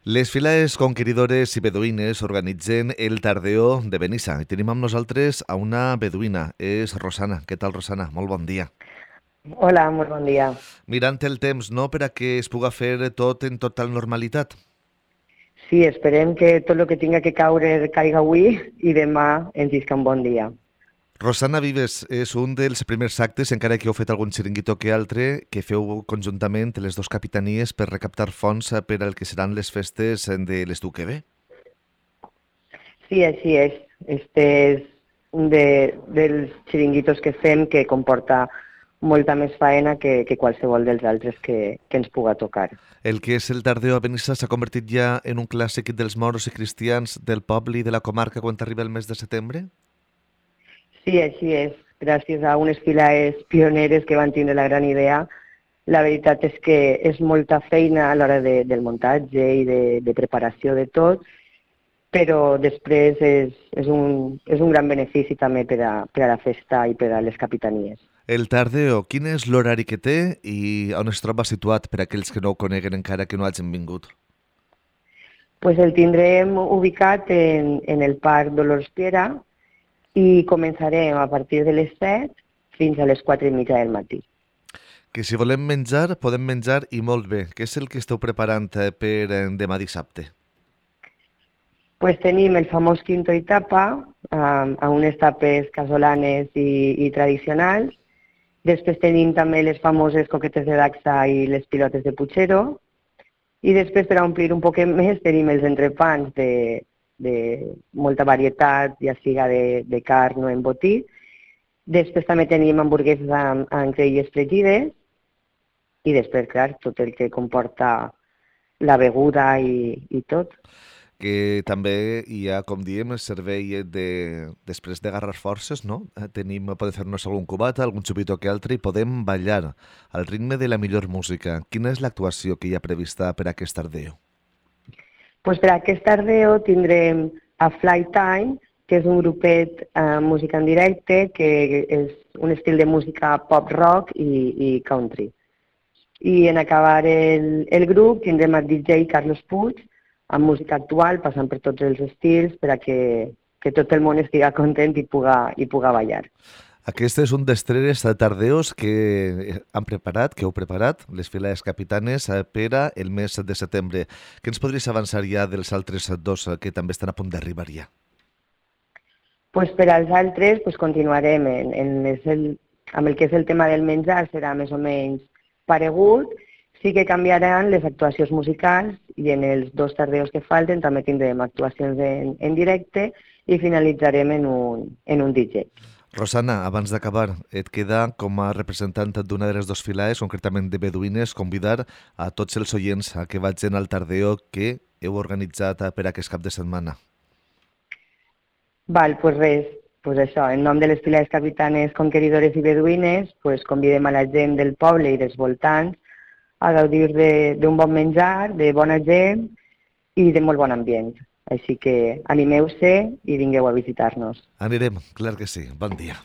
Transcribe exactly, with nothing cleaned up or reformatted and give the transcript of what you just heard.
Les files conqueridores i beduïnes organitzen el Tardeo de Benissa i tenim amb nosaltres a una beduïna, és Rosana. Què tal, Rosana? Molt bon dia. Hola, molt bon dia. Mirant el temps, no?, per a que es puga fer tot en total normalitat. Sí, esperem que tot el que tinga que caure caiga avui i demà ens isca un bon dia. Rosana Vives és un dels primers actes, encara que heu fet algun xiringuito que altre, que feu conjuntament les dues capitanies per recaptar fons per al que seran les festes de les d'U Q B. Sí, així és. Este és un de, dels xiringuitos que fem que comporta molta més faena que, que qualsevol dels altres que, que ens puga tocar. El que és el Tardeo a Benissa s'ha convertit ja en un clàssic dels moros i cristians del poble i de la comarca quan arriba el mes de setembre? Sí, així és. Gràcies a unes files pioneres que van tindre la gran idea, la veritat és que és molta feina a l'hora de, del muntatge i de, de preparació de tot, però després és, és, un, és un gran benefici també per a, per a la festa i per a les capitanies. El Tardeo, quin és l'horari que té i on es troba situat per a aquells que no ho coneguen encara que no hagin vingut? Pues el tindrem ubicat en, en el Parc Dolors Piera i començarem a partir de les set fins a les quatre i mitja del matí. Que si volem menjar, podem menjar i molt bé. Què és el que esteu preparant eh, per eh, demà dissabte? Pues tenim el famós quinto i tapa, um, a unes tapes casolanes i, i tradicionals. Després tenim també les famoses coquetes de dacsa i les pilotes de puchero. I després, per a omplir un poquet més, tenim els entrepans de, de molta varietat, ja siga de, de carn o embotit. Després també tenim hamburgueses amb, amb creïlles fregides. I després, clar, tot el que comporta la beguda i, i tot. Que també hi ha, com diem, el servei de, després d'agarrar forces, no? Eh, Tenim, podem fer-nos algun cubat, algun xupito que altre i podem ballar al ritme de la millor música. Quina és l'actuació que hi ha prevista per a aquest tardeo? Pues per aquest tardeo tindrem a Flytime, que és un grupet eh, música en directe, que és un estil de música pop-rock i, i country. I en acabar el, el grup tindrem el D J Carlos Puig, amb música actual, passant per tots els estils, per a que, que tot el món estigui content i puga, i puga ballar. Aquest és un dels tres tardeos que han preparat, que heu preparat, les files capitanes, eh, per a el mes de setembre. Què ens podries avançar ja dels altres dos eh, que també estan a punt d'arribar ja? Pues per als altres pues continuarem en, en el, amb el que és el tema del menjar, serà més o menys paregut. Sí que canviaran les actuacions musicals i en els dos tardeos que falten també tindrem actuacions en, en directe i finalitzarem en un, en un D J. Rosana, abans d'acabar, et queda com a representant d'una de les dues files, concretament de Beduïnes, convidar a tots els oients a que vagin al tardeo que heu organitzat per aquest cap de setmana. Val, pues res, pues això, en nom de les files capitanes conqueridores i beduïnes, pues convidem a la gent del poble i dels voltants a gaudir d'un bon menjar, de bona gent i de molt bon ambient. Així que animeu-se i vingueu a visitar-nos. Anirem, clar que sí. Bon dia.